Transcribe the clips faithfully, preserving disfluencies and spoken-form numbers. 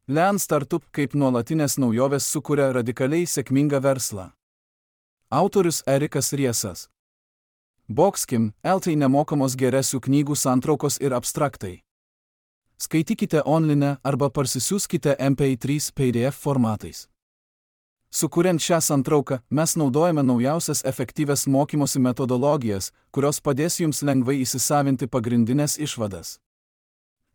Lean Startup kaip nuolatinės naujovės sukuria radikaliai sėkmingą verslą. Autorius Erikas Riesas. Boxkim, L T nemokamos geresių knygų santraukos ir abstraktai. Skaitykite online arba parsisiųskite M P trys P D F formatais. Sukuriant šią santrauką, mes naudojame naujausias efektyvias mokymosi metodologijas, kurios padės jums lengvai įsisavinti pagrindinės išvadas.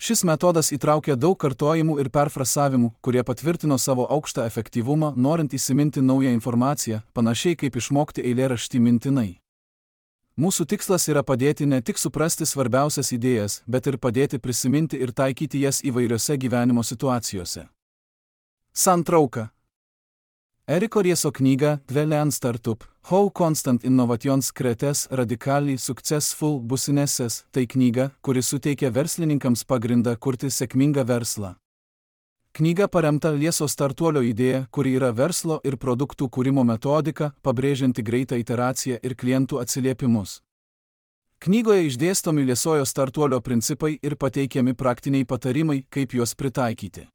Šis metodas įtraukia daug kartojimų ir perfrasavimų, kurie patvirtino savo aukštą efektyvumą, norint įsiminti naują informaciją, panašiai kaip išmokti eilėraštį mintinai. Mūsų tikslas yra padėti ne tik suprasti svarbiausias idėjas, bet ir padėti prisiminti ir taikyti jas įvairiose gyvenimo situacijose. Santrauka. Eriko Rieso knyga Lean Startup – How Constant Innovations Creates Radically Successful Businesses – tai knyga, kuri suteikia verslininkams pagrindą kurti sėkmingą verslą. Knyga paremta Rieso startuolio idėja, kuri yra verslo ir produktų kūrimo metodika, pabrėžianti greitą iteraciją ir klientų atsiliepimus. Knygoje išdėstomi Riesojo startuolio principai ir pateikiami praktiniai patarimai, kaip juos pritaikyti.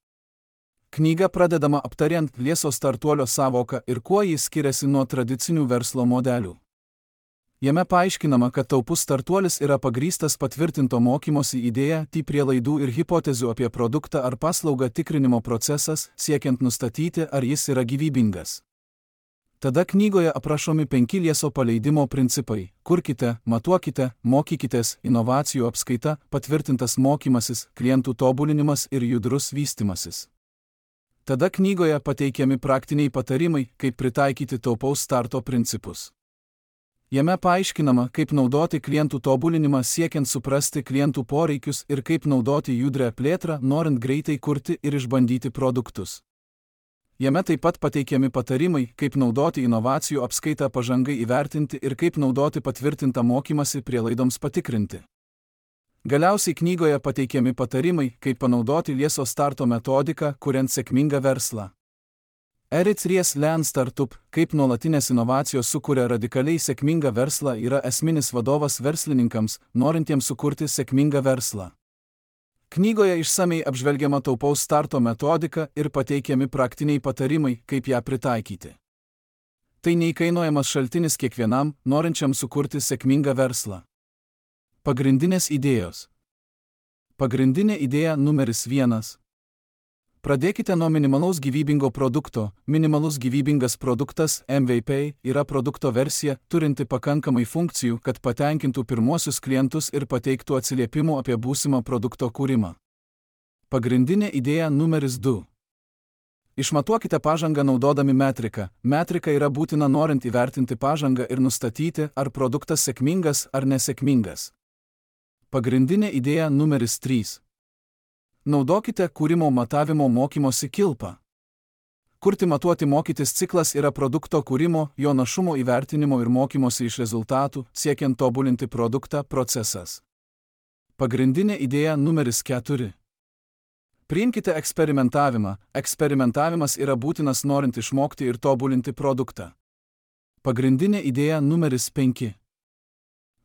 Knyga pradedama aptariant Rieso startuolio sąvoką ir kuo jis skiriasi nuo tradicinių verslo modelių. Jame paaiškinama, kad taupus startuolis yra pagrįstas patvirtinto mokymosi idėja, ty prielaidų ir hipotezių apie produktą ar paslaugą tikrinimo procesas, siekiant nustatyti, ar jis yra gyvybingas. Tada knygoje aprašomi penki Rieso paleidimo principai – kurkite, matuokite, mokykitės, inovacijų apskaita, patvirtintas mokymasis, klientų tobulinimas ir judrus vystimasis. Tada knygoje pateikiami praktiniai patarimai, kaip pritaikyti taupaus starto principus. Jame paaiškinama, kaip naudoti klientų tobulinimą siekiant suprasti klientų poreikius ir kaip naudoti judrią plėtrą, norint greitai kurti ir išbandyti produktus. Jame taip pat pateikiami patarimai, kaip naudoti inovacijų apskaitą pažangai įvertinti ir kaip naudoti patvirtintą mokymasi prielaidoms patikrinti. Galiausiai knygoje pateikiami patarimai, kaip panaudoti Rieso starto metodiką, kuriant sėkmingą verslą. Erikas Ries Lean Startup, kaip nuolatinės inovacijos sukuria radikaliai sėkmingą verslą, yra esminis vadovas verslininkams, norintiems sukurti sėkmingą verslą. Knygoje išsamei apžvelgiama taupaus starto metodika ir pateikiami praktiniai patarimai, kaip ją pritaikyti. Tai neįkainojamas šaltinis kiekvienam, norinčiam sukurti sėkmingą verslą. Pagrindinės idėjos. Pagrindinė idėja numeris vienas. Pradėkite nuo minimalaus gyvybingo produkto. Minimalus gyvybingas produktas M V P yra produkto versija, turinti pakankamai funkcijų, kad patenkintų pirmuosius klientus ir pateiktų atsiliepimų apie būsimą produkto kūrimą. Pagrindinė idėja numeris du. Išmatuokite pažangą naudodami metriką. Metrika yra būtina norint įvertinti pažangą ir nustatyti, ar produktas sėkmingas ar nesėkmingas. Pagrindinė idėja numeris trys. Naudokite kūrimo matavimo mokymosi kilpą. Kurti matuoti mokytis ciklas yra produkto kūrimo, jo našumo įvertinimo ir mokymosi iš rezultatų, siekiant tobulinti produktą procesas. Pagrindinė idėja numeris keturi. Priimkite eksperimentavimą. Eksperimentavimas yra būtinas norint išmokti ir tobulinti produktą. Pagrindinė idėja numeris penki.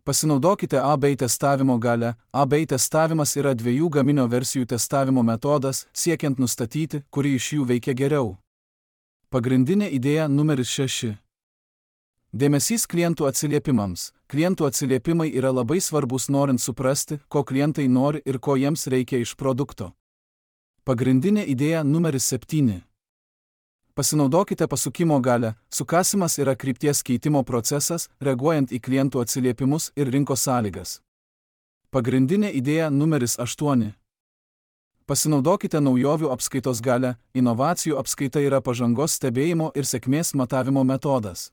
Pasinaudokite A B testavimo galią. A B testavimas yra dviejų gaminio versijų testavimo metodas, siekiant nustatyti, kuri iš jų veikia geriau. Pagrindinė idėja numeris šeši. Dėmesys klientų atsiliepimams. Klientų atsiliepimai yra labai svarbus norint suprasti, ko klientai nori ir ko jiems reikia iš produkto. Pagrindinė idėja numeris septyni. Pasinaudokite pasukimo galią. Sukasimas yra krypties keitimo procesas, reaguojant į klientų atsiliepimus ir rinkos sąlygas. Pagrindinė idėja numeris aštuoni. Pasinaudokite naujovių apskaitos galią. Inovacijų apskaita yra pažangos stebėjimo ir sėkmės matavimo metodas.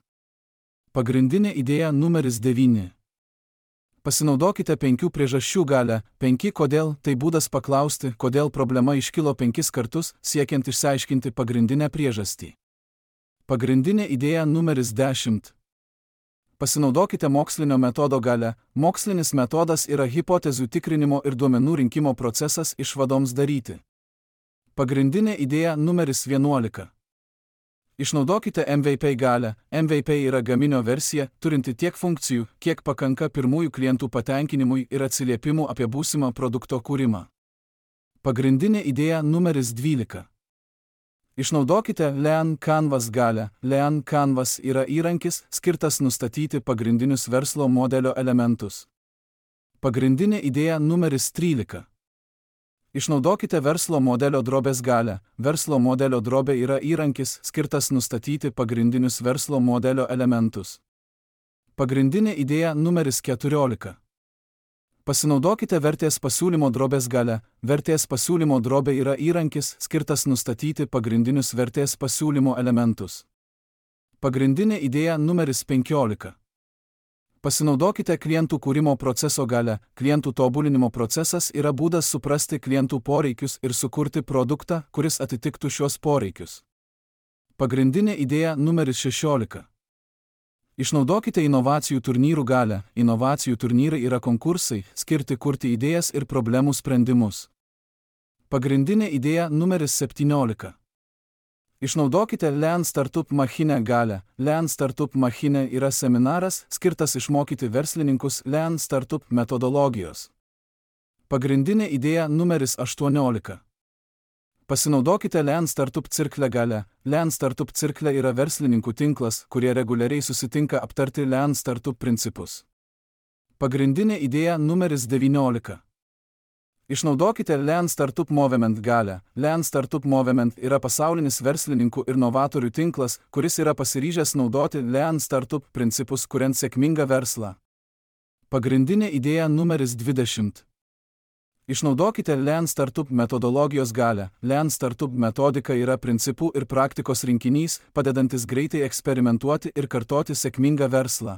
Pagrindinė idėja numeris devyni. Pasinaudokite penkių priežasčių galią. Penki kodėl – tai būdas paklausti, kodėl problema iškilo penkis kartus, siekiant išsiaiškinti pagrindinę priežastį. Pagrindinė idėja numeris dešimt. Pasinaudokite mokslinio metodo galią. Mokslinis metodas yra hipotezių tikrinimo ir duomenų rinkimo procesas išvadoms daryti. Pagrindinė idėja numeris vienuolika. Išnaudokite M V P galią. M V P yra gaminio versija, turinti tiek funkcijų, kiek pakanka pirmųjų klientų patenkinimui ir atsiliepimų apie būsimą produkto kūrimą. Pagrindinė idėja numeris dvylika. Išnaudokite Lean Canvas galią. Lean Canvas yra įrankis, skirtas nustatyti pagrindinius verslo modelio elementus. Pagrindinė idėja numeris trylika. Išnaudokite verslo modelio drobės galią. Verslo modelio drobė yra įrankis, skirtas nustatyti pagrindinius verslo modelio elementus. Pagrindinė idėja numeris keturiolika. Pasinaudokite vertės pasiūlymo drobės galią. Vertės pasiūlymo drobė yra įrankis, skirtas nustatyti pagrindinius vertės pasiūlymo elementus. Pagrindinė idėja numeris penkiolika. Pasinaudokite klientų kūrimo proceso galią. Klientų tobulinimo procesas yra būdas suprasti klientų poreikius ir sukurti produktą, kuris atitiktų šios poreikius. Pagrindinė idėja numeris šešiolika. Išnaudokite inovacijų turnyrų galią. Inovacijų turnyrai yra konkursai, skirti kurti idėjas ir problemų sprendimus. Pagrindinė idėja numeris septyniolika. Išnaudokite Lean Startup Machine galią. Lean Startup Machine yra seminaras, skirtas išmokyti verslininkus Lean Startup metodologijos. Pagrindinė idėja numeris aštuoniolika. Pasinaudokite Lean Startup cirklę galią. Lean Startup cirklė yra verslininkų tinklas, kurie reguliariai susitinka aptarti Lean Startup principus. Pagrindinė idėja numeris devyniolika. Išnaudokite Lean Startup Movement galią. Lean Startup Movement yra pasaulinis verslininkų ir novatorių tinklas, kuris yra pasiryžęs naudoti Lean Startup principus, kuriant sėkmingą verslą. Pagrindinė idėja numeris dvidešimt. Išnaudokite Lean Startup metodologijos galią. Lean Startup metodika yra principų ir praktikos rinkinys, padedantis greitai eksperimentuoti ir kartoti sėkmingą verslą.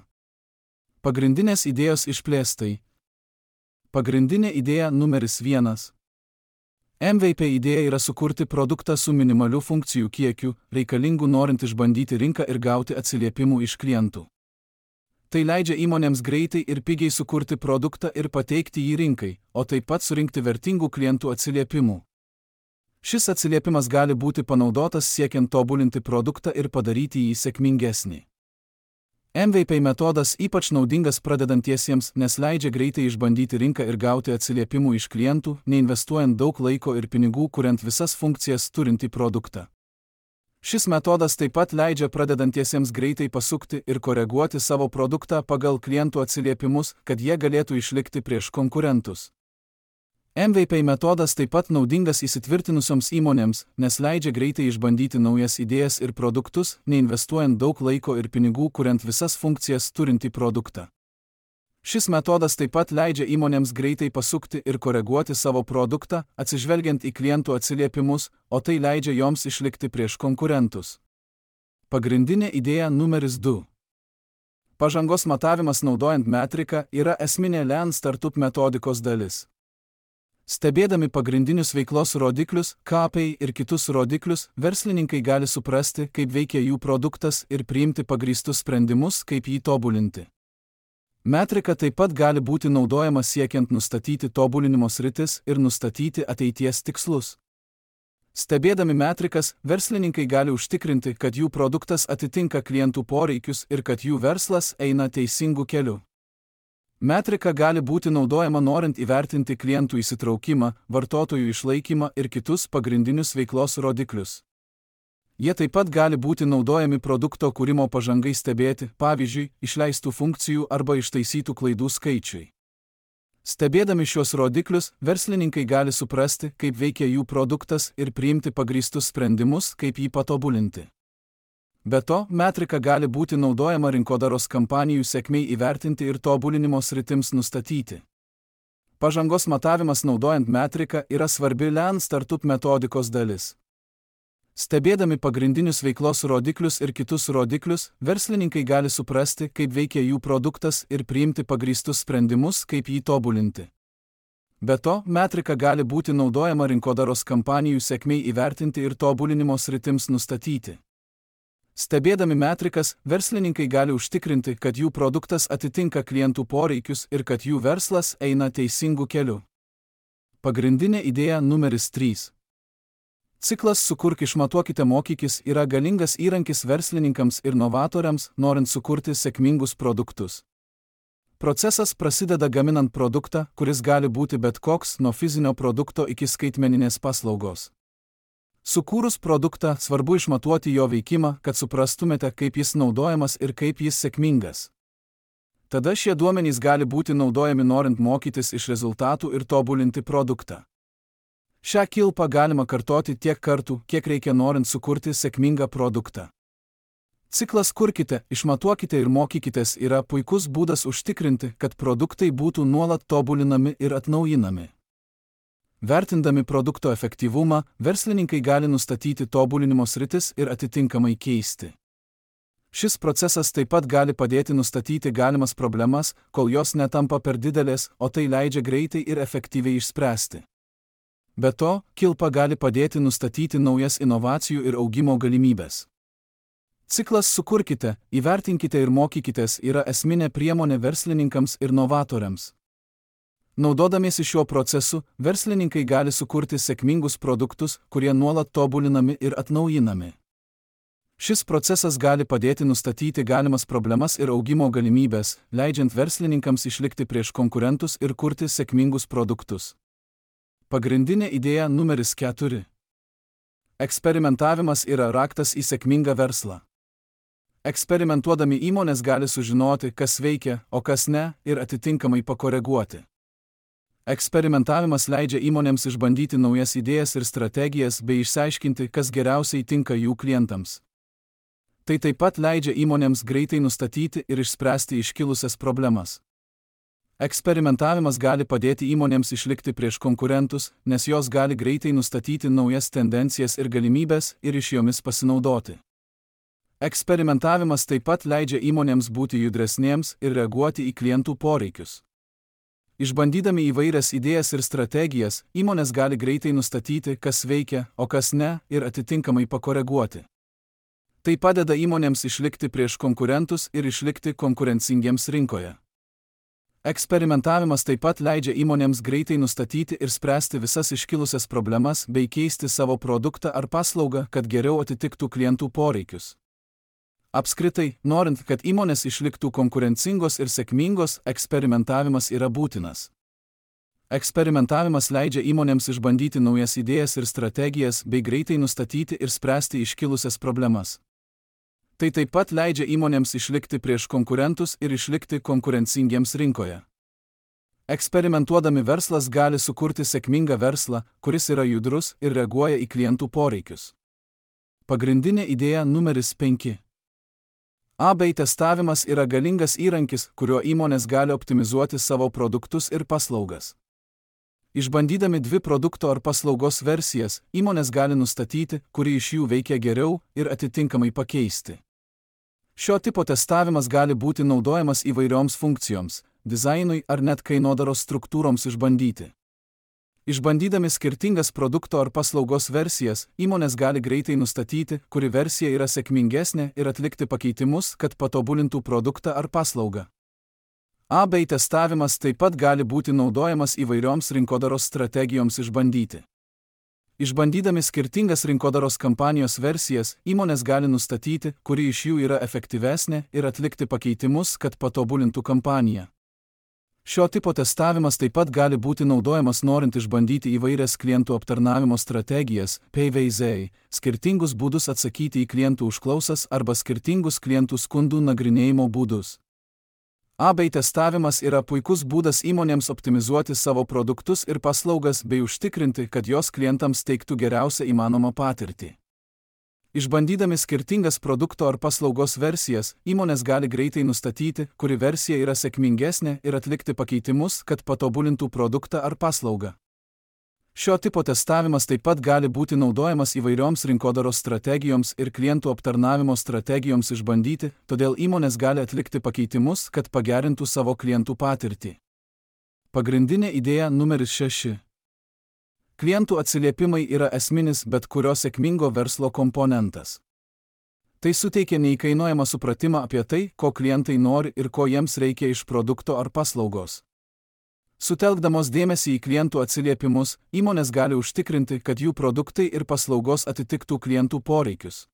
Pagrindinės idėjos išplėstai. Pagrindinė idėja numeris vienas. M V P idėja yra sukurti produktą su minimaliu funkcijų kiekiu, reikalingų norint išbandyti rinką ir gauti atsiliepimų iš klientų. Tai leidžia įmonėms greitai ir pigiai sukurti produktą ir pateikti jį rinkai, o taip pat surinkti vertingų klientų atsiliepimų. Šis atsiliepimas gali būti panaudotas siekiant tobulinti produktą ir padaryti jį sėkmingesnį. M V P metodas ypač naudingas pradedantiesiems, nes leidžia greitai išbandyti rinką ir gauti atsiliepimų iš klientų, neinvestuojant daug laiko ir pinigų, kuriant visas funkcijas turintį produktą. Šis metodas taip pat leidžia pradedantiesiems greitai pasukti ir koreguoti savo produktą pagal klientų atsiliepimus, kad jie galėtų išlikti prieš konkurentus. M V P metodas taip pat naudingas įsitvirtinusioms įmonėms, nes leidžia greitai išbandyti naujas idėjas ir produktus, neinvestuojant daug laiko ir pinigų, kuriant visas funkcijas turintį produktą. Šis metodas taip pat leidžia įmonėms greitai pasukti ir koreguoti savo produktą, atsižvelgiant į klientų atsiliepimus, o tai leidžia joms išlikti prieš konkurentus. Pagrindinė idėja numeris du. Pažangos matavimas naudojant metriką yra esminė Lean Startup metodikos dalis. Stebėdami pagrindinius veiklos rodiklius, K P I ir kitus rodiklius, verslininkai gali suprasti, kaip veikia jų produktas ir priimti pagrįstus sprendimus, kaip jį tobulinti. Metrika taip pat gali būti naudojama siekiant nustatyti tobulinimo sritis ir nustatyti ateities tikslus. Stebėdami metrikas, verslininkai gali užtikrinti, kad jų produktas atitinka klientų poreikius ir kad jų verslas eina teisingu keliu. Metrika gali būti naudojama norint įvertinti klientų įsitraukimą, vartotojų išlaikymą ir kitus pagrindinius veiklos rodiklius. Jie taip pat gali būti naudojami produkto kūrimo pažangai stebėti, pavyzdžiui, išleistų funkcijų arba ištaisytų klaidų skaičiui. Stebėdami šios rodiklius, verslininkai gali suprasti, kaip veikia jų produktas ir priimti pagrįstus sprendimus, kaip jį patobulinti. Be to, metrika gali būti naudojama rinkodaros kampanijų sėkmei įvertinti ir tobulinimo sritims nustatyti. Pažangos matavimas naudojant metriką yra svarbi Lean Startup metodikos dalis. Stebėdami pagrindinius veiklos rodiklius ir kitus rodiklius, verslininkai gali suprasti, kaip veikia jų produktas ir priimti pagrįstus sprendimus, kaip jį tobulinti. Be to, metrika gali būti naudojama rinkodaros kampanijų sėkmei įvertinti ir tobulinimo sritims nustatyti. Stebėdami metrikas, verslininkai gali užtikrinti, kad jų produktas atitinka klientų poreikius ir kad jų verslas eina teisingu keliu. Pagrindinė idėja numeris trys. Ciklas Sukurk išmatuokite mokykis yra galingas įrankis verslininkams ir novatoriams, norint sukurti sėkmingus produktus. Procesas prasideda gaminant produktą, kuris gali būti bet koks, nuo fizinio produkto iki skaitmeninės paslaugos. Sukūrus produktą, svarbu išmatuoti jo veikimą, kad suprastumėte, kaip jis naudojamas ir kaip jis sėkmingas. Tada šie duomenys gali būti naudojami norint mokytis iš rezultatų ir tobulinti produktą. Šią kilpą galima kartoti tiek kartų, kiek reikia norint sukurti sėkmingą produktą. Ciklas kurkite, išmatuokite ir mokykitės yra puikus būdas užtikrinti, kad produktai būtų nuolat tobulinami ir atnaujinami. Vertindami produkto efektyvumą, verslininkai gali nustatyti tobulinimo sritis ir atitinkamai keisti. Šis procesas taip pat gali padėti nustatyti galimas problemas, kol jos netampa per didelės, o tai leidžia greitai ir efektyviai išspręsti. Be to, kilpa gali padėti nustatyti naujas inovacijų ir augimo galimybės. Ciklas sukurkite, įvertinkite ir mokykitės yra esminė priemonė verslininkams ir novatoriams. Naudodamiesi šiuo procesu, verslininkai gali sukurti sėkmingus produktus, kurie nuolat tobulinami ir atnaujinami. Šis procesas gali padėti nustatyti galimas problemas ir augimo galimybės, leidžiant verslininkams išlikti prieš konkurentus ir kurti sėkmingus produktus. Pagrindinė idėja numeris keturi. Eksperimentavimas yra raktas į sėkmingą verslą. Eksperimentuodami įmonės gali sužinoti, kas veikia, o kas ne, ir atitinkamai pakoreguoti. Eksperimentavimas leidžia įmonėms išbandyti naujas idėjas ir strategijas bei išsiaiškinti, kas geriausiai tinka jų klientams. Tai taip pat leidžia įmonėms greitai nustatyti ir išspręsti iškilusias problemas. Eksperimentavimas gali padėti įmonėms išlikti prieš konkurentus, nes jos gali greitai nustatyti naujas tendencijas ir galimybės ir iš jomis pasinaudoti. Eksperimentavimas taip pat leidžia įmonėms būti judresnėms ir reaguoti į klientų poreikius. Išbandydami įvairias idėjas ir strategijas, įmonės gali greitai nustatyti, kas veikia, o kas ne, ir atitinkamai pakoreguoti. Tai padeda įmonėms išlikti prieš konkurentus ir išlikti konkurencingiems rinkoje. Eksperimentavimas taip pat leidžia įmonėms greitai nustatyti ir spręsti visas iškilusias problemas bei keisti savo produktą ar paslaugą, kad geriau atitiktų klientų poreikius. Apskritai, norint, kad įmonės išliktų konkurencingos ir sėkmingos, eksperimentavimas yra būtinas. Eksperimentavimas leidžia įmonėms išbandyti naujas idėjas ir strategijas bei greitai nustatyti ir spręsti iškilusias problemas. Tai taip pat leidžia įmonėms išlikti prieš konkurentus ir išlikti konkurencingiems rinkoje. Eksperimentuodami verslas gali sukurti sėkmingą verslą, kuris yra judrus ir reaguoja į klientų poreikius. Pagrindinė idėja numeris penki. A B testavimas yra galingas įrankis, kuriuo įmonės gali optimizuoti savo produktus ir paslaugas. Išbandydami dvi produkto ar paslaugos versijas, įmonės gali nustatyti, kuri iš jų veikia geriau ir atitinkamai pakeisti. Šio tipo testavimas gali būti naudojamas įvairioms funkcijoms, dizainui ar net kainodaros struktūroms išbandyti. Išbandydami skirtingas produkto ar paslaugos versijas, įmonės gali greitai nustatyti, kuri versija yra sėkmingesnė ir atlikti pakeitimus, kad patobulintų produktą ar paslaugą. A B testavimas taip pat gali būti naudojamas įvairioms rinkodaros strategijoms išbandyti. Išbandydami skirtingas rinkodaros kampanijos versijas, įmonės gali nustatyti, kuri iš jų yra efektyvesnė ir atlikti pakeitimus, kad patobulintų kampaniją. Šio tipo testavimas taip pat gali būti naudojamas norint išbandyti įvairias klientų aptarnavimo strategijas, P V Z, skirtingus būdus atsakyti į klientų užklausas arba skirtingus klientų skundų nagrinėjimo būdus. A B testavimas yra puikus būdas įmonėms optimizuoti savo produktus ir paslaugas bei užtikrinti, kad jos klientams teiktų geriausią įmanomą patirtį. Išbandydami skirtingas produkto ar paslaugos versijas, įmonės gali greitai nustatyti, kuri versija yra sėkmingesnė ir atlikti pakeitimus, kad patobulintų produktą ar paslaugą. Šio tipo testavimas taip pat gali būti naudojamas įvairioms rinkodaros strategijoms ir klientų aptarnavimo strategijoms išbandyti, todėl įmonės gali atlikti pakeitimus, kad pagerintų savo klientų patirtį. Pagrindinė idėja numeris šeši. Klientų atsiliepimai yra esminis bet kurio sėkmingo verslo komponentas. Tai suteikia neįkainojamą supratimą apie tai, ko klientai nori ir ko jiems reikia iš produkto ar paslaugos. Sutelkdamos dėmesį į klientų atsiliepimus, įmonės gali užtikrinti, kad jų produktai ir paslaugos atitiktų klientų poreikius.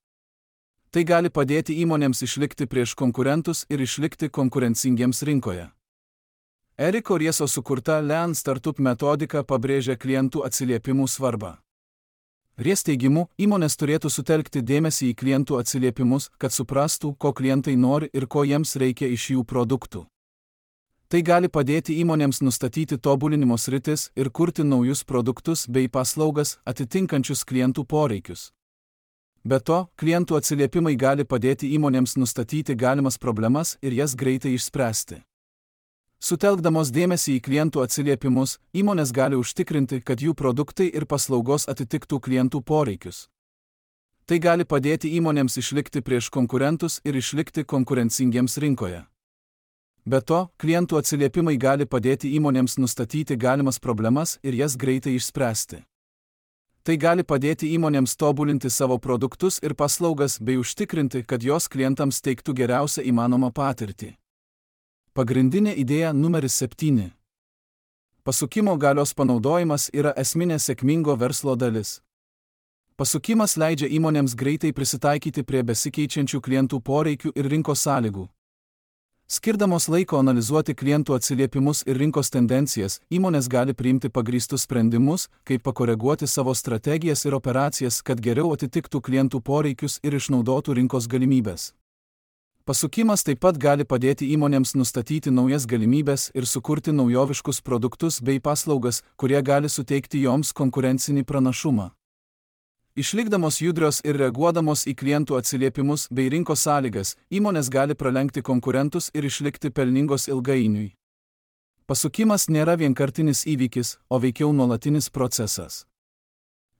Tai gali padėti įmonėms išlikti prieš konkurentus ir išlikti konkurencingiems rinkoje. Eriko Rieso sukurta Lean Startup metodika pabrėžia klientų atsiliepimų svarbą. Ries teigimu, įmonės turėtų sutelkti dėmesį į klientų atsiliepimus, kad suprastų, ko klientai nori ir ko jiems reikia iš jų produktų. Tai gali padėti įmonėms nustatyti tobulinimo sritis ir kurti naujus produktus bei paslaugas atitinkančius klientų poreikius. Be to, klientų atsiliepimai gali padėti įmonėms nustatyti galimas problemas ir jas greitai išspręsti. Sutelkdamos dėmesį į klientų atsiliepimus, įmonės gali užtikrinti, kad jų produktai ir paslaugos atitiktų klientų poreikius. Tai gali padėti įmonėms išlikti prieš konkurentus ir išlikti konkurencingiems rinkoje. Be to, klientų atsiliepimai gali padėti įmonėms nustatyti galimas problemas ir jas greitai išspręsti. Tai gali padėti įmonėms tobulinti savo produktus ir paslaugas bei užtikrinti, kad jos klientams teiktų geriausią įmanomą patirtį. Pagrindinė idėja numeris septyni. Pasukimo galios panaudojimas yra esminė sėkmingo verslo dalis. Pasukimas leidžia įmonėms greitai prisitaikyti prie besikeičiančių klientų poreikių ir rinkos sąlygų. Skirdamos laiko analizuoti klientų atsiliepimus ir rinkos tendencijas, įmonės gali priimti pagrįstus sprendimus, kaip pakoreguoti savo strategijas ir operacijas, kad geriau atitiktų klientų poreikius ir išnaudotų rinkos galimybės. Pasukimas taip pat gali padėti įmonėms nustatyti naujas galimybės ir sukurti naujoviškus produktus bei paslaugas, kurie gali suteikti joms konkurencinį pranašumą. Išlikdamos judrios ir reaguodamos į klientų atsiliepimus bei rinkos sąlygas, įmonės gali pralenkti konkurentus ir išlikti pelningos ilgainiui. Pasukimas nėra vienkartinis įvykis, o veikiau nuolatinis procesas.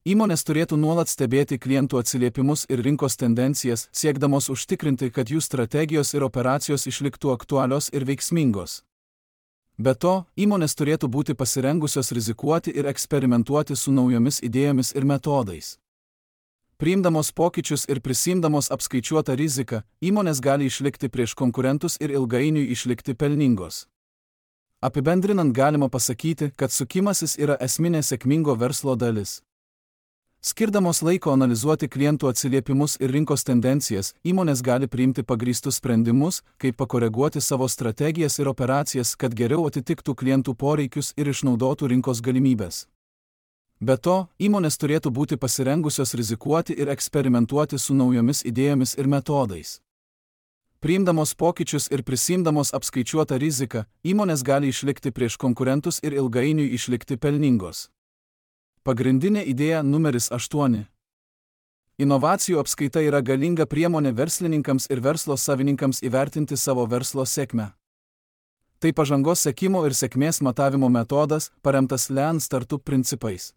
Įmonės turėtų nuolat stebėti klientų atsiliepimus ir rinkos tendencijas, siekdamos užtikrinti, kad jų strategijos ir operacijos išliktų aktualios ir veiksmingos. Be to, įmonės turėtų būti pasirengusios rizikuoti ir eksperimentuoti su naujomis idėjomis ir metodais. Priimdamos pokyčius ir prisiimdamos apskaičiuotą riziką, įmonės gali išlikti prieš konkurentus ir ilgainiui išlikti pelningos. Apibendrinant galima pasakyti, kad sukimasis yra esminė sėkmingo verslo dalis. Skirdamos laiko analizuoti klientų atsiliepimus ir rinkos tendencijas, įmonės gali priimti pagrįstus sprendimus, kaip pakoreguoti savo strategijas ir operacijas, kad geriau atitiktų klientų poreikius ir išnaudotų rinkos galimybės. Be to, įmonės turėtų būti pasirengusios rizikuoti ir eksperimentuoti su naujomis idėjomis ir metodais. Priimdamos pokyčius ir prisiimdamos apskaičiuotą riziką, įmonės gali išlikti prieš konkurentus ir ilgainiui išlikti pelningos. Pagrindinė idėja numeris aštuoni. Inovacijų apskaita yra galinga priemonė verslininkams ir verslo savininkams įvertinti savo verslo sėkmę. Tai pažangos sekimo ir sėkmės matavimo metodas, paremtas Lean Startup principais.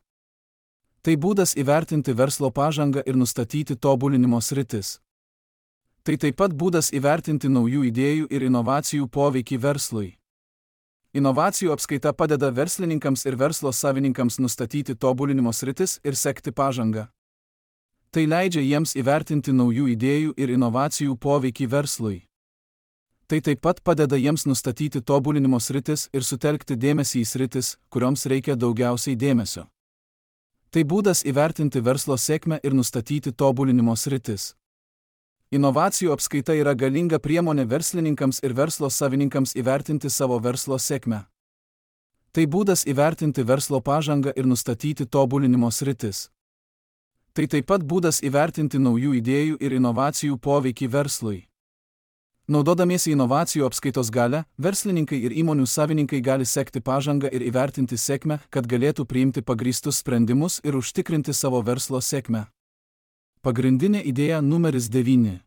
Tai būdas įvertinti verslo pažangą ir nustatyti tobulinimo sritis. Tai taip pat būdas įvertinti naujų idėjų ir inovacijų poveikį verslui. Inovacijų apskaita padeda verslininkams ir verslo savininkams nustatyti tobulinimo sritis ir sekti pažangą. Tai leidžia jiems įvertinti naujų idėjų ir inovacijų poveikį verslui. Tai taip pat padeda jiems nustatyti tobulinimo sritis ir sutelkti dėmesį į sritis, kurioms reikia daugiausiai dėmesio. Tai būdas įvertinti verslo sėkmę ir nustatyti tobulinimo sritis. Inovacijų apskaita yra galinga priemonė verslininkams ir verslo savininkams įvertinti savo verslo sėkmę. Tai būdas įvertinti verslo pažangą ir nustatyti tobulinimo sritis. Tai taip pat būdas įvertinti naujų idėjų ir inovacijų poveikį verslui. Naudodamiesi inovacijų apskaitos galią, verslininkai ir įmonių savininkai gali sekti pažangą ir įvertinti sėkmę, kad galėtų priimti pagrįstus sprendimus ir užtikrinti savo verslo sėkmę. Pagrindinė idėja numeris devyni.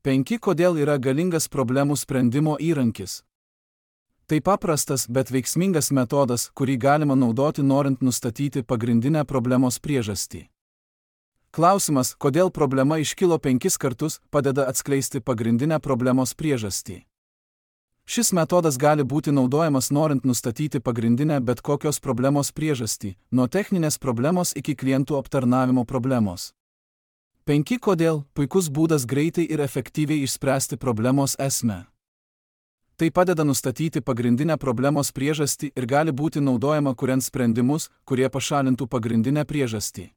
penki Kodėl yra galingas problemų sprendimo įrankis? Tai paprastas, bet veiksmingas metodas, kurį galima naudoti norint nustatyti pagrindinę problemos priežastį. Klausimas, kodėl problema iškilo penkis kartus, padeda atskleisti pagrindinę problemos priežastį. Šis metodas gali būti naudojamas norint nustatyti pagrindinę bet kokios problemos priežastį, nuo techninės problemos iki klientų aptarnavimo problemos. penki Kodėl – puikus būdas greitai ir efektyviai išspręsti problemos esmę. Tai padeda nustatyti pagrindinę problemos priežastį ir gali būti naudojama kuriant sprendimus, kurie pašalintų pagrindinę priežastį.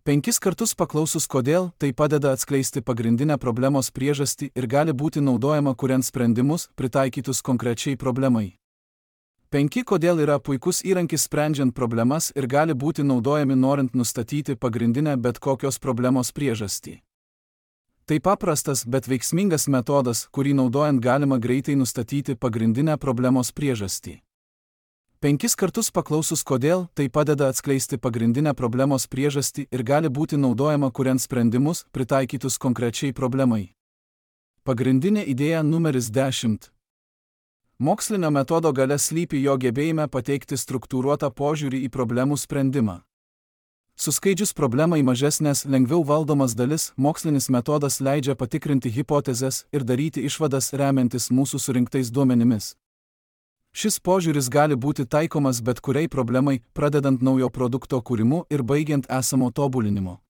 Penkis kartus paklausus kodėl, tai padeda atskleisti pagrindinę problemos priežastį ir gali būti naudojama kuriant sprendimus, pritaikytus konkrečiai problemai. penki Kodėl yra puikus įrankis sprendžiant problemas ir gali būti naudojami norint nustatyti pagrindinę bet kokios problemos priežastį. Tai paprastas, bet veiksmingas metodas, kurį naudojant galima greitai nustatyti pagrindinę problemos priežastį. Penkis kartus paklausus kodėl, tai padeda atskleisti pagrindinę problemos priežastį ir gali būti naudojama kuriant sprendimus, pritaikytus konkrečiai problemai. Pagrindinė idėja numeris dešimt. Mokslinio metodo galia slypi jo gebėjime pateikti struktūruotą požiūrį į problemų sprendimą. Suskaidžius problemą į mažesnės, lengviau valdomas dalis, mokslinis metodas leidžia patikrinti hipotezes ir daryti išvadas remiantis mūsų surinktais duomenimis. Šis požiūris gali būti taikomas bet kuriai problemai, pradedant naujo produkto kūrimu ir baigiant esamo tobulinimo.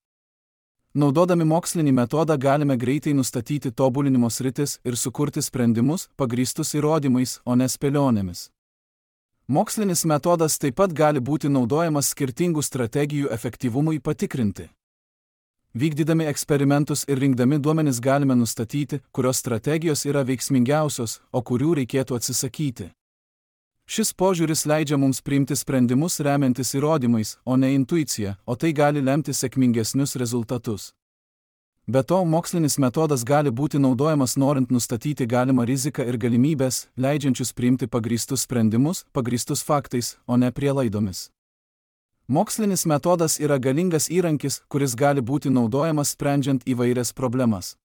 Naudodami mokslinį metodą galime greitai nustatyti tobulinimo sritis ir sukurti sprendimus, pagrįstus įrodymais, o ne spėlionėmis. Mokslinis metodas taip pat gali būti naudojamas skirtingų strategijų efektyvumui patikrinti. Vykdydami eksperimentus ir rinkdami duomenis galime nustatyti, kurios strategijos yra veiksmingiausios, o kurių reikėtų atsisakyti. Šis požiūris leidžia mums priimti sprendimus remiantis įrodymais, o ne intuicija, o tai gali lemti sėkmingesnius rezultatus. Be to, mokslinis metodas gali būti naudojamas norint nustatyti galimą riziką ir galimybės, leidžiančius priimti pagrįstus sprendimus, pagrįstus faktais, o ne prielaidomis. Mokslinis metodas yra galingas įrankis, kuris gali būti naudojamas sprendžiant įvairias problemas.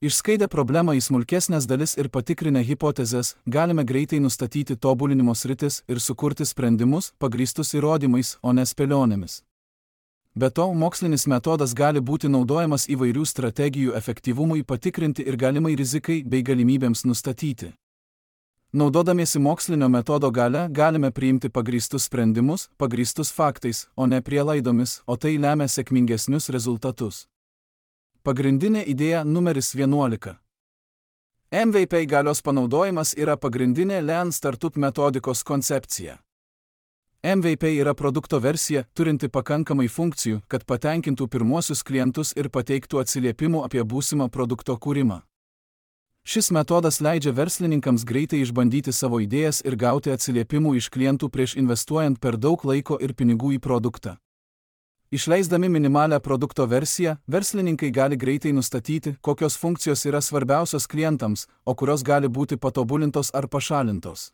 Išskaidę problemą į smulkesnės dalis ir patikrinę hipotezes, galime greitai nustatyti tobulinimo sritis ir sukurti sprendimus, pagrįstus įrodymais, o ne spėlionėmis. Be to, mokslinis metodas gali būti naudojamas įvairių strategijų efektyvumui patikrinti ir galimai rizikai bei galimybėms nustatyti. Naudodamiesi mokslinio metodo galia, galime priimti pagrįstus sprendimus, pagrįstus faktais, o ne prielaidomis, o tai lemia sėkmingesnius rezultatus. Pagrindinė idėja numeris vienuolika. M V P galios panaudojimas yra pagrindinė Lean Startup metodikos koncepcija. M V P yra produkto versija, turinti pakankamai funkcijų, kad patenkintų pirmuosius klientus ir pateiktų atsiliepimų apie būsimą produkto kūrimą. Šis metodas leidžia verslininkams greitai išbandyti savo idėjas ir gauti atsiliepimų iš klientų prieš investuojant per daug laiko ir pinigų į produktą. Išleisdami minimalią produkto versiją, verslininkai gali greitai nustatyti, kokios funkcijos yra svarbiausios klientams, o kurios gali būti patobulintos ar pašalintos.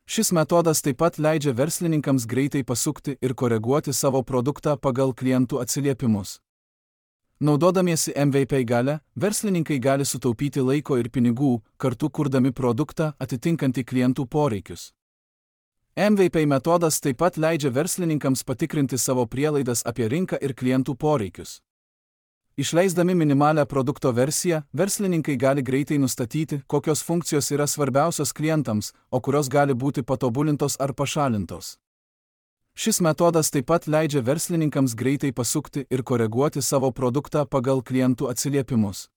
Šis metodas taip pat leidžia verslininkams greitai pasukti ir koreguoti savo produktą pagal klientų atsiliepimus. Naudodamiesi M V P galia, verslininkai gali sutaupyti laiko ir pinigų, kartu kurdami produktą atitinkantį klientų poreikius. M V P metodas taip pat leidžia verslininkams patikrinti savo prielaidas apie rinką ir klientų poreikius. Išleisdami minimalią produkto versiją, verslininkai gali greitai nustatyti, kokios funkcijos yra svarbiausios klientams, o kurios gali būti patobulintos ar pašalintos. Šis metodas taip pat leidžia verslininkams greitai pasukti ir koreguoti savo produktą pagal klientų atsiliepimus.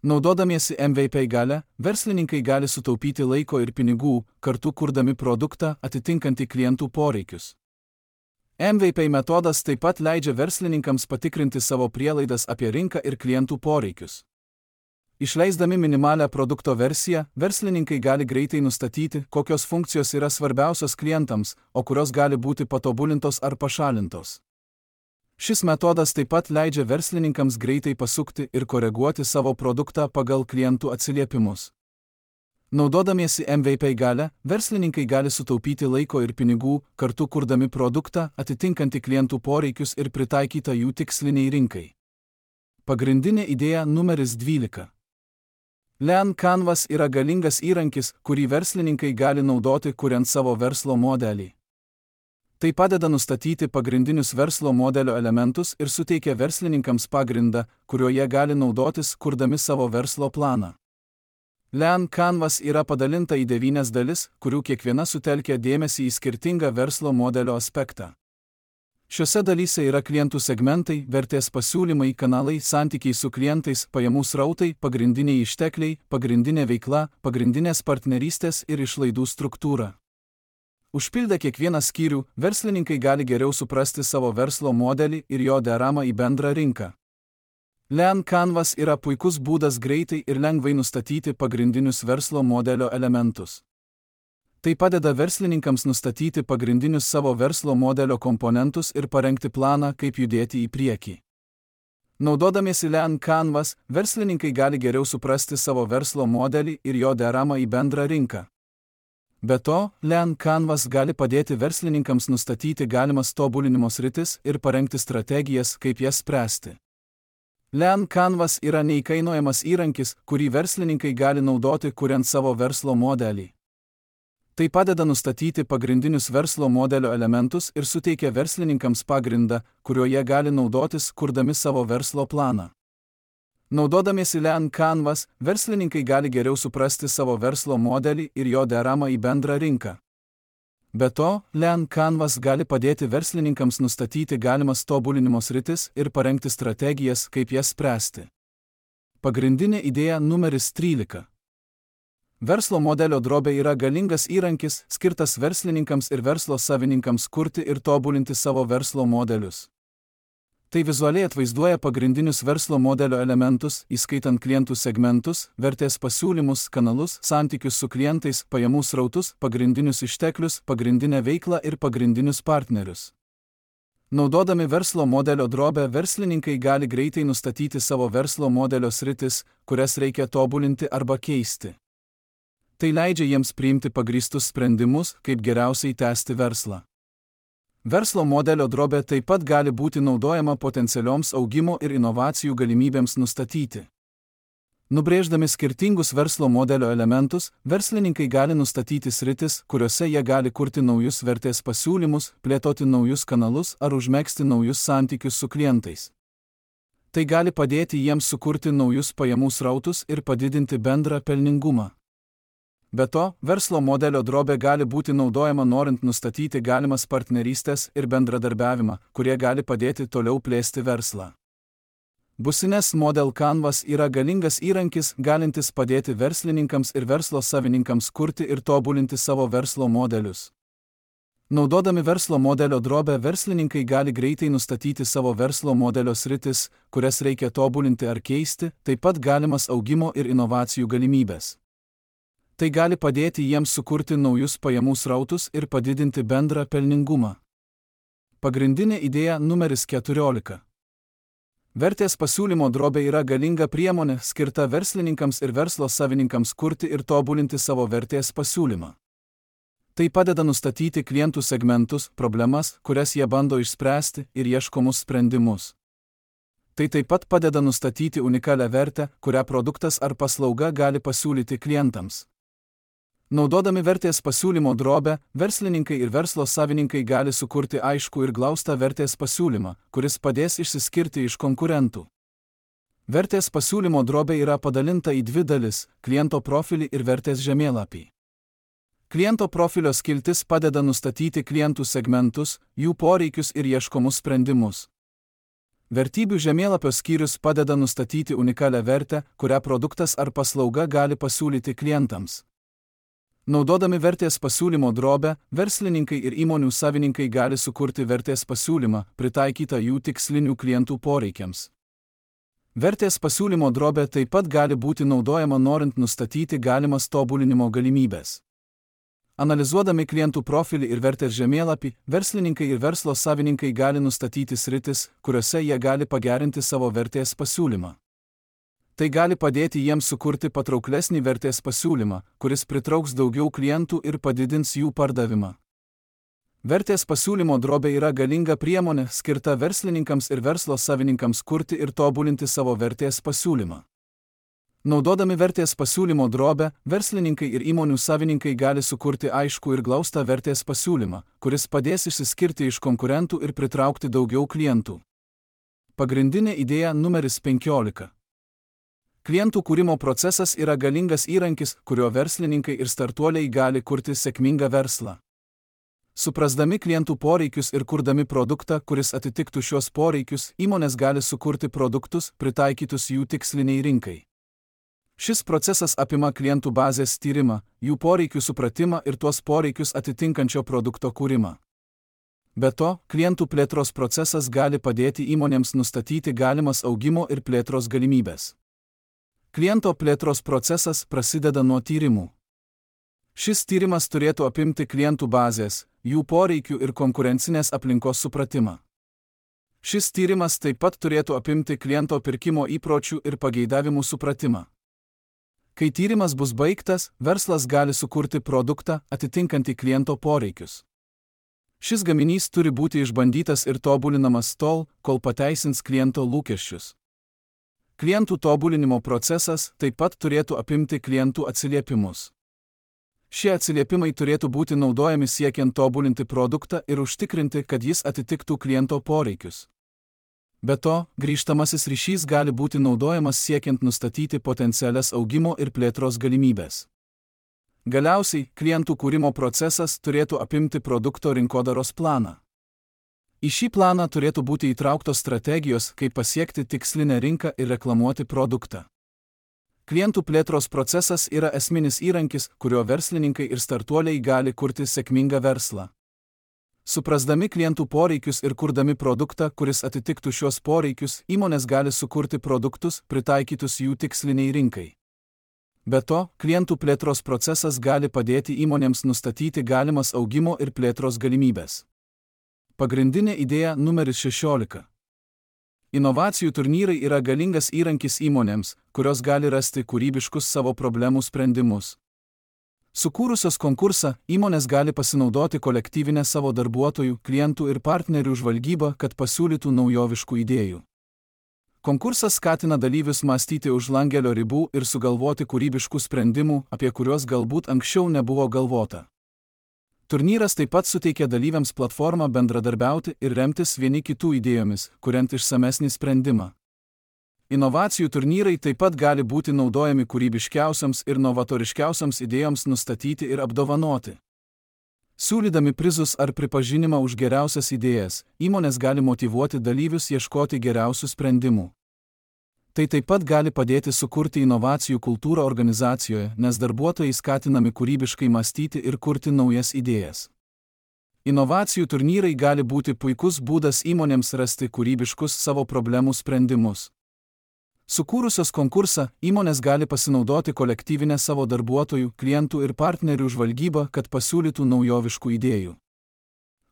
Naudodamiesi M V P galia, verslininkai gali sutaupyti laiko ir pinigų, kartu kurdami produktą atitinkantį klientų poreikius. M V P metodas taip pat leidžia verslininkams patikrinti savo prielaidas apie rinką ir klientų poreikius. Išleisdami minimalią produkto versiją, verslininkai gali greitai nustatyti, kokios funkcijos yra svarbiausios klientams, o kurios gali būti patobulintos ar pašalintos. Šis metodas taip pat leidžia verslininkams greitai pasukti ir koreguoti savo produktą pagal klientų atsiliepimus. Naudodamiesi M V P galia, verslininkai gali sutaupyti laiko ir pinigų, kartu kurdami produktą atitinkantį klientų poreikius ir pritaikytą jų tiksliniai rinkai. Pagrindinė idėja numeris dvylika. Lean Canvas yra galingas įrankis, kurį verslininkai gali naudoti kuriant savo verslo modelį. Tai padeda nustatyti pagrindinius verslo modelio elementus ir suteikia verslininkams pagrindą, kuriuo jie gali naudotis, kurdami savo verslo planą. Lean Canvas yra padalinta į devynias dalis, kurių kiekviena sutelkia dėmesį į skirtingą verslo modelio aspektą. Šiuose dalyse yra klientų segmentai, vertės pasiūlymai, kanalai, santykiai su klientais, pajamų srautai, pagrindiniai ištekliai, pagrindinė veikla, pagrindinės partnerystės ir išlaidų struktūra. Užpildę kiekvieną skyrių, verslininkai gali geriau suprasti savo verslo modelį ir jo deramą į bendrą rinką. Lean Canvas yra puikus būdas greitai ir lengvai nustatyti pagrindinius verslo modelio elementus. Tai padeda verslininkams nustatyti pagrindinius savo verslo modelio komponentus ir parengti planą, kaip judėti į priekį. Naudodamiesi Lean Canvas, verslininkai gali geriau suprasti savo verslo modelį ir jo deramą į bendrą rinką. Be to, Lean Canvas gali padėti verslininkams nustatyti galimas tobulinimo sritis ir parengti strategijas, kaip jas spręsti. Lean Canvas yra neįkainojamas įrankis, kurį verslininkai gali naudoti, kuriant savo verslo modelį. Tai padeda nustatyti pagrindinius verslo modelio elementus ir suteikia verslininkams pagrindą, kuriuo jie gali naudotis, kurdami savo verslo planą. Naudodamiesi Lean Canvas, verslininkai gali geriau suprasti savo verslo modelį ir jo deramą į bendrą rinką. Be to, Lean Canvas gali padėti verslininkams nustatyti galimas tobulinimo sritis ir parengti strategijas, kaip jas spręsti. Pagrindinė idėja numeris trylika. Verslo modelio drobė yra galingas įrankis, skirtas verslininkams ir verslo savininkams kurti ir tobulinti savo verslo modelius. Tai vizualiai atvaizduoja pagrindinius verslo modelio elementus, įskaitant klientų segmentus, vertės pasiūlymus, kanalus, santykius su klientais, pajamų srautus, pagrindinius išteklius, pagrindinę veiklą ir pagrindinius partnerius. Naudodami verslo modelio drobę, verslininkai gali greitai nustatyti savo verslo modelio sritis, kurias reikia tobulinti arba keisti. Tai leidžia jiems priimti pagrįstus sprendimus, kaip geriausiai tęsti verslą. Verslo modelio drobė taip pat gali būti naudojama potencialioms augimo ir inovacijų galimybėms nustatyti. Nubrėždami skirtingus verslo modelio elementus, verslininkai gali nustatyti sritis, kuriuose jie gali kurti naujus vertės pasiūlymus, plėtoti naujus kanalus ar užmegzti naujus santykius su klientais. Tai gali padėti jiems sukurti naujus pajamų srautus ir padidinti bendrą pelningumą. Be to, verslo modelio drobė gali būti naudojama norint nustatyti galimas partnerystės ir bendradarbiavimą, kurie gali padėti toliau plėsti verslą. Business Model Canvas yra galingas įrankis, galintis padėti verslininkams ir verslo savininkams kurti ir tobulinti savo verslo modelius. Naudodami verslo modelio drobę, verslininkai gali greitai nustatyti savo verslo modelio sritis, kurias reikia tobulinti ar keisti, taip pat galimas augimo ir inovacijų galimybės. Tai gali padėti jiems sukurti naujus pajamų srautus ir padidinti bendrą pelningumą. Pagrindinė idėja numeris keturiolika. Vertės pasiūlymo drobė yra galinga priemonė, skirta verslininkams ir verslo savininkams kurti ir tobulinti savo vertės pasiūlymą. Tai padeda nustatyti klientų segmentus, problemas, kurias jie bando išspręsti, ir ieškomus sprendimus. Tai taip pat padeda nustatyti unikalią vertę, kurią produktas ar paslauga gali pasiūlyti klientams. Naudodami vertės pasiūlymo drobę, verslininkai ir verslo savininkai gali sukurti aiškų ir glaustą vertės pasiūlymą, kuris padės išsiskirti iš konkurentų. Vertės pasiūlymo drobė yra padalinta į dvi dalis – kliento profilį ir vertės žemėlapį. Kliento profilio skiltis padeda nustatyti klientų segmentus, jų poreikius ir ieškomus sprendimus. Vertybių žemėlapio skyrius padeda nustatyti unikalią vertę, kurią produktas ar paslauga gali pasiūlyti klientams. Naudodami vertės pasiūlymo drobę, verslininkai ir įmonių savininkai gali sukurti vertės pasiūlymą, pritaikytą jų tikslinių klientų poreikiams. Vertės pasiūlymo drobė taip pat gali būti naudojama norint nustatyti galimas tobulinimo galimybės. Analizuodami klientų profilį ir vertės žemėlapį, verslininkai ir verslo savininkai gali nustatyti sritis, kuriuose jie gali pagerinti savo vertės pasiūlymą. Tai gali padėti jiems sukurti patrauklesnį vertės pasiūlymą, kuris pritrauks daugiau klientų ir padidins jų pardavimą. Vertės pasiūlymo drobė yra galinga priemonė, skirta verslininkams ir verslo savininkams kurti ir tobulinti savo vertės pasiūlymą. Naudodami vertės pasiūlymo drobę, verslininkai ir įmonių savininkai gali sukurti aiškų ir glaustą vertės pasiūlymą, kuris padės išsiskirti iš konkurentų ir pritraukti daugiau klientų. Pagrindinė idėja numeris penkiolika. Klientų kūrimo procesas yra galingas įrankis, kuriuo verslininkai ir startuoliai gali kurti sėkmingą verslą. Suprasdami klientų poreikius ir kurdami produktą, kuris atitiktų šios poreikius, įmonės gali sukurti produktus, pritaikytus jų tiksliniai rinkai. Šis procesas apima klientų bazės tyrimą, jų poreikių supratimą ir tuos poreikius atitinkančio produkto kūrimą. Be to, klientų plėtros procesas gali padėti įmonėms nustatyti galimas augimo ir plėtros galimybės. Kliento plėtros procesas prasideda nuo tyrimų. Šis tyrimas turėtų apimti klientų bazės, jų poreikių ir konkurencinės aplinkos supratimą. Šis tyrimas taip pat turėtų apimti kliento pirkimo įpročių ir pageidavimų supratimą. Kai tyrimas bus baigtas, verslas gali sukurti produktą atitinkantį kliento poreikius. Šis gaminys turi būti išbandytas ir tobulinamas tol, kol pateisins kliento lūkesčius. Klientų tobulinimo procesas taip pat turėtų apimti klientų atsiliepimus. Šie atsiliepimai turėtų būti naudojami siekiant tobulinti produktą ir užtikrinti, kad jis atitiktų kliento poreikius. Be to, grįžtamasis ryšys gali būti naudojamas siekiant nustatyti potencialias augimo ir plėtros galimybes. Galiausiai, klientų kūrimo procesas turėtų apimti produkto rinkodaros planą. Į šį planą turėtų būti įtrauktos strategijos, kaip pasiekti tikslinę rinką ir reklamuoti produktą. Klientų plėtros procesas yra esminis įrankis, kuriuo verslininkai ir startuoliai gali kurti sėkmingą verslą. Suprasdami klientų poreikius ir kurdami produktą, kuris atitiktų šios poreikius, įmonės gali sukurti produktus, pritaikytus jų tiksliniai rinkai. Be to, klientų plėtros procesas gali padėti įmonėms nustatyti galimas augimo ir plėtros galimybes. Pagrindinė idėja numeris šešiolika. Inovacijų turnyrai yra galingas įrankis įmonėms, kurios gali rasti kūrybiškus savo problemų sprendimus. Sukūrusios konkursą, įmonės gali pasinaudoti kolektyvinę savo darbuotojų, klientų ir partnerių žvalgybą, kad pasiūlytų naujoviškų idėjų. Konkursas skatina dalyvius mąstyti už langelio ribų ir sugalvoti kūrybiškų sprendimų, apie kuriuos galbūt anksčiau nebuvo galvota. Turnyras taip pat suteikia dalyviams platformą bendradarbiauti ir remtis vieni kitų idėjomis, kuriant išsamesnį sprendimą. Inovacijų turnyrai taip pat gali būti naudojami kūrybiškiausiams ir novatoriškiausiams idėjoms nustatyti ir apdovanoti. Siūlydami prizus ar pripažinimą už geriausias idėjas, įmonės gali motyvuoti dalyvius ieškoti geriausių sprendimų. Tai taip pat gali padėti sukurti inovacijų kultūrą organizacijoje, nes darbuotojai skatinami kūrybiškai mąstyti ir kurti naujas idėjas. Inovacijų turnyrai gali būti puikus būdas įmonėms rasti kūrybiškus savo problemų sprendimus. Sukūrusios konkursą, įmonės gali pasinaudoti kolektyvinę savo darbuotojų, klientų ir partnerių žvalgybą, kad pasiūlytų naujoviškų idėjų.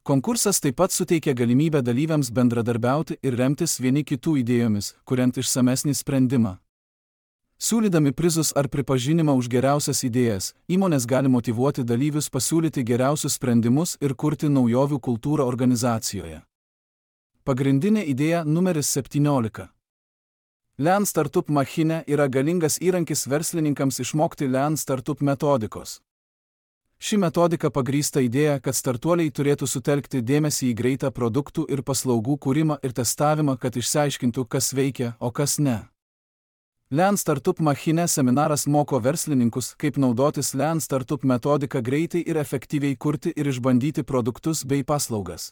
Konkursas taip pat suteikia galimybę dalyviams bendradarbiauti ir remtis vieni kitų idėjomis, kuriant išsamesnį sprendimą. Siūlydami prizus ar pripažinimą už geriausias idėjas, įmonės gali motyvuoti dalyvius pasiūlyti geriausius sprendimus ir kurti naujovių kultūrą organizacijoje. Pagrindinė idėja numeris septyniolika. Lean Startup Machine yra galingas įrankis verslininkams išmokti Lean Startup metodikos. Ši metodika pagrįsta idėja, kad startuoliai turėtų sutelkti dėmesį į greitą produktų ir paslaugų kūrimą ir testavimą, kad išsiaiškintų, kas veikia, o kas ne. Lean Startup Machine seminaras moko verslininkus, kaip naudotis Lean Startup metodiką greitai ir efektyviai kurti ir išbandyti produktus bei paslaugas.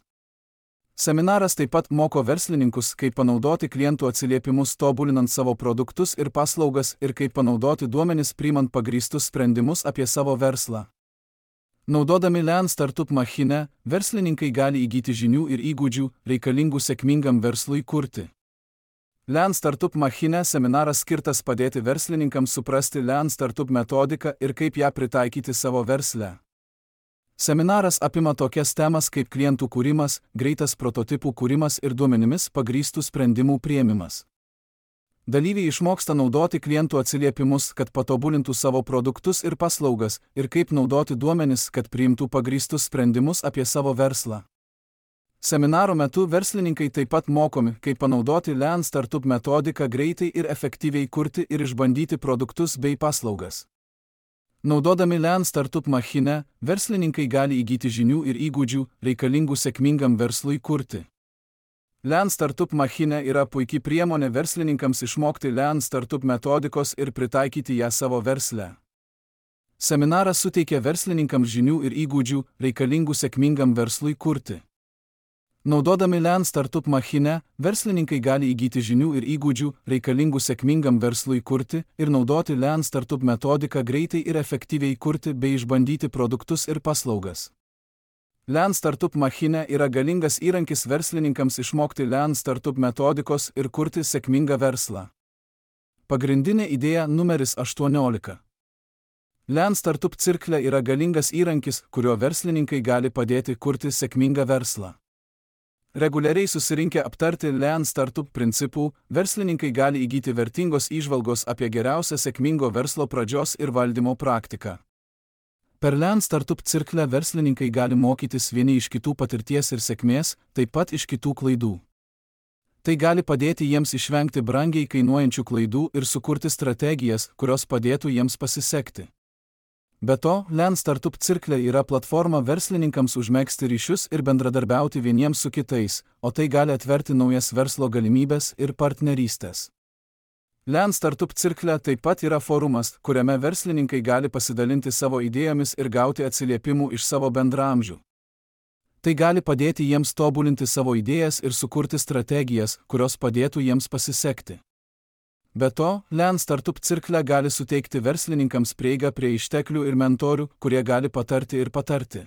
Seminaras taip pat moko verslininkus, kaip panaudoti klientų atsiliepimus tobulinant savo produktus ir paslaugas ir kaip panaudoti duomenis priimant pagrįstus sprendimus apie savo verslą. Naudodami Lean Startup Machine, verslininkai gali įgyti žinių ir įgūdžių, reikalingų sėkmingam verslui kurti. Lean Startup Machine seminaras skirtas padėti verslininkams suprasti Lean Startup metodiką ir kaip ją pritaikyti savo versle. Seminaras apima tokias temas kaip klientų kūrimas, greitas prototipų kūrimas ir duomenimis pagrįstų sprendimų priėmimas. Dalyviai išmoksta naudoti klientų atsiliepimus, kad patobulintų savo produktus ir paslaugas, ir kaip naudoti duomenis, kad priimtų pagrįstus sprendimus apie savo verslą. Seminaro metu verslininkai taip pat mokomi, kaip panaudoti Lean Startup metodiką greitai ir efektyviai kurti ir išbandyti produktus bei paslaugas. Naudodami Lean Startup Machine, verslininkai gali įgyti žinių ir įgūdžių, reikalingų sėkmingam verslui kurti. Lean Startup Machine yra puikiai priemonė verslininkams išmokti Lean Startup metodikos ir pritaikyti ją savo versle. Seminaras suteikia verslininkams žinių ir įgūdžių, reikalingų sėkmingam verslui kurti. Naudodami Lean Startup Machine, verslininkai gali įgyti žinių ir įgūdžių, reikalingų sėkmingam verslui kurti ir naudoti Lean Startup metodiką greitai ir efektyviai kurti bei išbandyti produktus ir paslaugas. Lean Startup Machine yra galingas įrankis verslininkams išmokti Lean Startup metodikos ir kurti sėkmingą verslą. Pagrindinė idėja numeris aštuoniolika. Lean Startup Circle yra galingas įrankis, kuriuo verslininkai gali padėti kurti sėkmingą verslą. Reguliariai susirinkę aptarti Lean Startup principų, verslininkai gali įgyti vertingos įžvalgos apie geriausią sėkmingo verslo pradžios ir valdymo praktiką. Per Lean Startup Circle verslininkai gali mokytis vieni iš kitų patirties ir sėkmės, taip pat iš kitų klaidų. Tai gali padėti jiems išvengti brangiai kainuojančių klaidų ir sukurti strategijas, kurios padėtų jiems pasisekti. Be to, Lean Startup Circle yra platforma verslininkams užmegzti ryšius ir bendradarbiauti vieniems su kitais, o tai gali atverti naujas verslo galimybes ir partnerystės. Lean Startup Circle taip pat yra forumas, kuriame verslininkai gali pasidalinti savo idėjomis ir gauti atsiliepimų iš savo bendraamžių. Tai gali padėti jiems tobulinti savo idėjas ir sukurti strategijas, kurios padėtų jiems pasisekti. Be to, Lean Startup Circle gali suteikti verslininkams prieigą prie išteklių ir mentorių, kurie gali patarti ir patarti.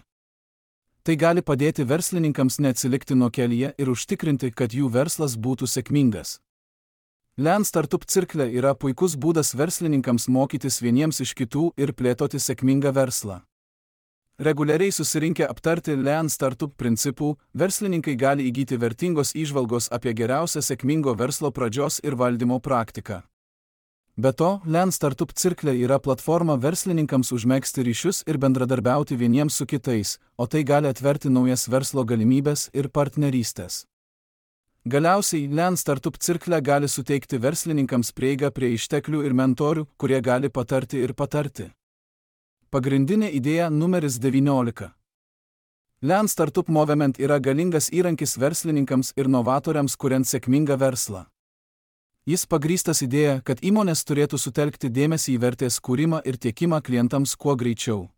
Tai gali padėti verslininkams neatsilikti nuo kelyje ir užtikrinti, kad jų verslas būtų sėkmingas. Lean Startup Circle yra puikus būdas verslininkams mokytis vieniems iš kitų ir plėtoti sėkmingą verslą. Reguliariai susirinkę aptarti Lean Startup principų, verslininkai gali įgyti vertingos įžvalgos apie geriausią sėkmingo verslo pradžios ir valdymo praktiką. Be to, Lean Startup Circle yra platforma verslininkams užmegzti ryšius ir bendradarbiauti vieniems su kitais, o tai gali atverti naujas verslo galimybes ir partnerystės. Galiausiai, Lean Startup Circle gali suteikti verslininkams prieigą prie išteklių ir mentorių, kurie gali patarti ir patarti. Pagrindinė idėja numeris devyniolika. Lean Startup Movement yra galingas įrankis verslininkams ir novatoriams kuriant sėkmingą verslą. Jis pagrįstas idėja, kad įmonės turėtų sutelkti dėmesį į vertės kūrimą ir tiekimą klientams kuo greičiau.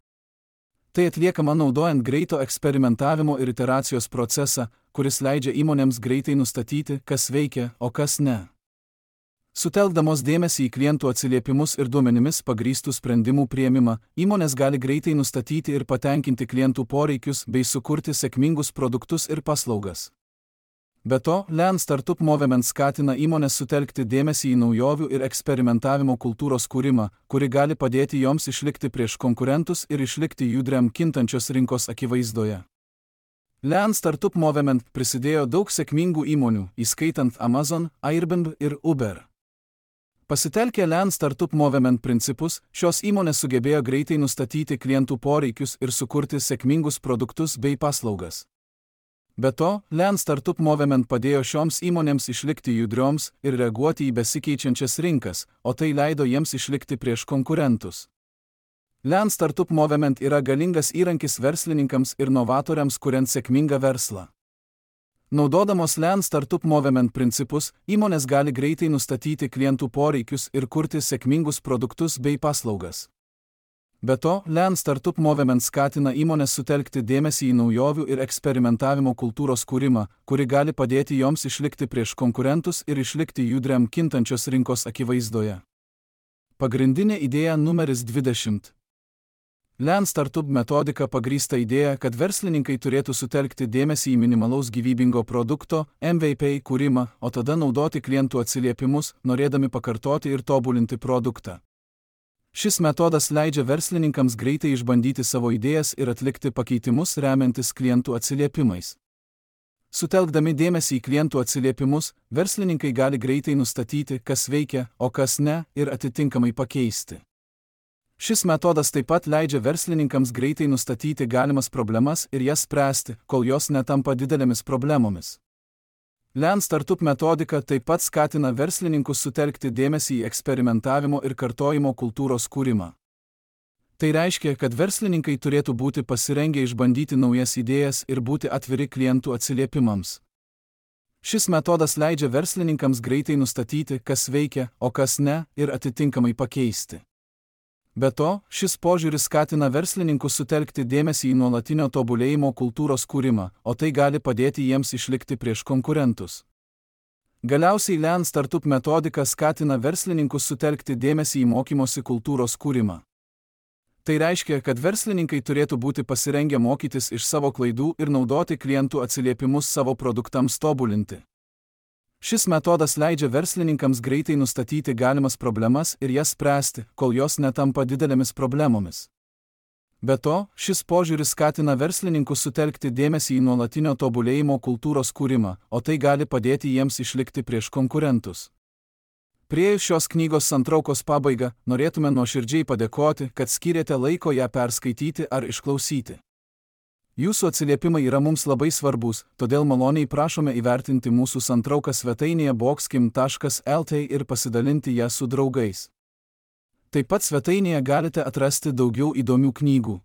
Tai atliekama naudojant greito eksperimentavimo ir iteracijos procesą, kuris leidžia įmonėms greitai nustatyti, kas veikia, o kas ne. Sutelkdamos dėmesį į klientų atsiliepimus ir duomenimis pagrįstų sprendimų priėmimą, įmonės gali greitai nustatyti ir patenkinti klientų poreikius bei sukurti sėkmingus produktus ir paslaugas. Be to, Lean Startup Movement skatina įmonės sutelkti dėmesį į naujovių ir eksperimentavimo kultūros kūrimą, kuri gali padėti joms išlikti prieš konkurentus ir išlikti judriam kintančios rinkos akivaizdoje. Lean Startup Movement prisidėjo daug sėkmingų įmonių, įskaitant Amazon, Airbnb ir Uber. Pasitelkę Lean Startup Movement principus, šios įmonės sugebėjo greitai nustatyti klientų poreikius ir sukurti sėkmingus produktus bei paslaugas. Be to, Lean Startup Movement padėjo šioms įmonėms išlikti judrioms ir reaguoti į besikeičiančias rinkas, o tai leido jiems išlikti prieš konkurentus. Lean Startup Movement yra galingas įrankis verslininkams ir novatoriams kuriant sėkmingą verslą. Naudodamos Lean Startup Movement principus, įmonės gali greitai nustatyti klientų poreikius ir kurti sėkmingus produktus bei paslaugas. Be to, Lean Startup Movement skatina įmonės sutelkti dėmesį į naujovių ir eksperimentavimo kultūros kūrimą, kuri gali padėti joms išlikti prieš konkurentus ir išlikti judriam kintančios rinkos akivaizdoje. Pagrindinė idėja numeris dvidešimt. Lean Startup metodika pagrįsta idėja, kad verslininkai turėtų sutelkti dėmesį į minimalaus gyvybingo produkto M V P kūrimą, o tada naudoti klientų atsiliepimus, norėdami pakartoti ir tobulinti produktą. Šis metodas leidžia verslininkams greitai išbandyti savo idėjas ir atlikti pakeitimus remiantis klientų atsiliepimais. Sutelkdami dėmesį į klientų atsiliepimus, verslininkai gali greitai nustatyti, kas veikia, o kas ne, ir atitinkamai pakeisti. Šis metodas taip pat leidžia verslininkams greitai nustatyti galimas problemas ir jas spręsti, kol jos netampa didelėmis problemomis. Lean Startup metodika taip pat skatina verslininkus sutelkti dėmesį į eksperimentavimo ir kartojimo kultūros kūrimą. Tai reiškia, kad verslininkai turėtų būti pasirengę išbandyti naujas idėjas ir būti atviri klientų atsiliepimams. Šis metodas leidžia verslininkams greitai nustatyti, kas veikia, o kas ne, ir atitinkamai pakeisti. Be to, šis požiūris skatina verslininkus sutelkti dėmesį į nuolatinio tobulėjimo kultūros kūrimą, o tai gali padėti jiems išlikti prieš konkurentus. Galiausiai Lean Startup metodika skatina verslininkus sutelkti dėmesį į mokymosi kultūros kūrimą. Tai reiškia, kad verslininkai turėtų būti pasirengę mokytis iš savo klaidų ir naudoti klientų atsiliepimus savo produktams tobulinti. Šis metodas leidžia verslininkams greitai nustatyti galimas problemas ir jas spręsti, kol jos netampa didelėmis problemomis. Be to, šis požiūris skatina verslininkus sutelkti dėmesį į nuolatinio tobulėjimo kultūros kūrimą, o tai gali padėti jiems išlikti prieš konkurentus. Priėjus šios knygos santraukos pabaigą, norėtume nuoširdžiai padėkoti, kad skyrėte laiko ją perskaityti ar išklausyti. Jūsų atsiliepimai yra mums labai svarbus, todėl maloniai prašome įvertinti mūsų santrauką svetainėje boxkim taškas lt ir pasidalinti ją su draugais. Taip pat svetainėje galite atrasti daugiau įdomių knygų.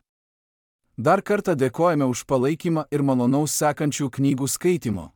Dar kartą dėkojame už palaikymą ir malonaus sekančių knygų skaitimo.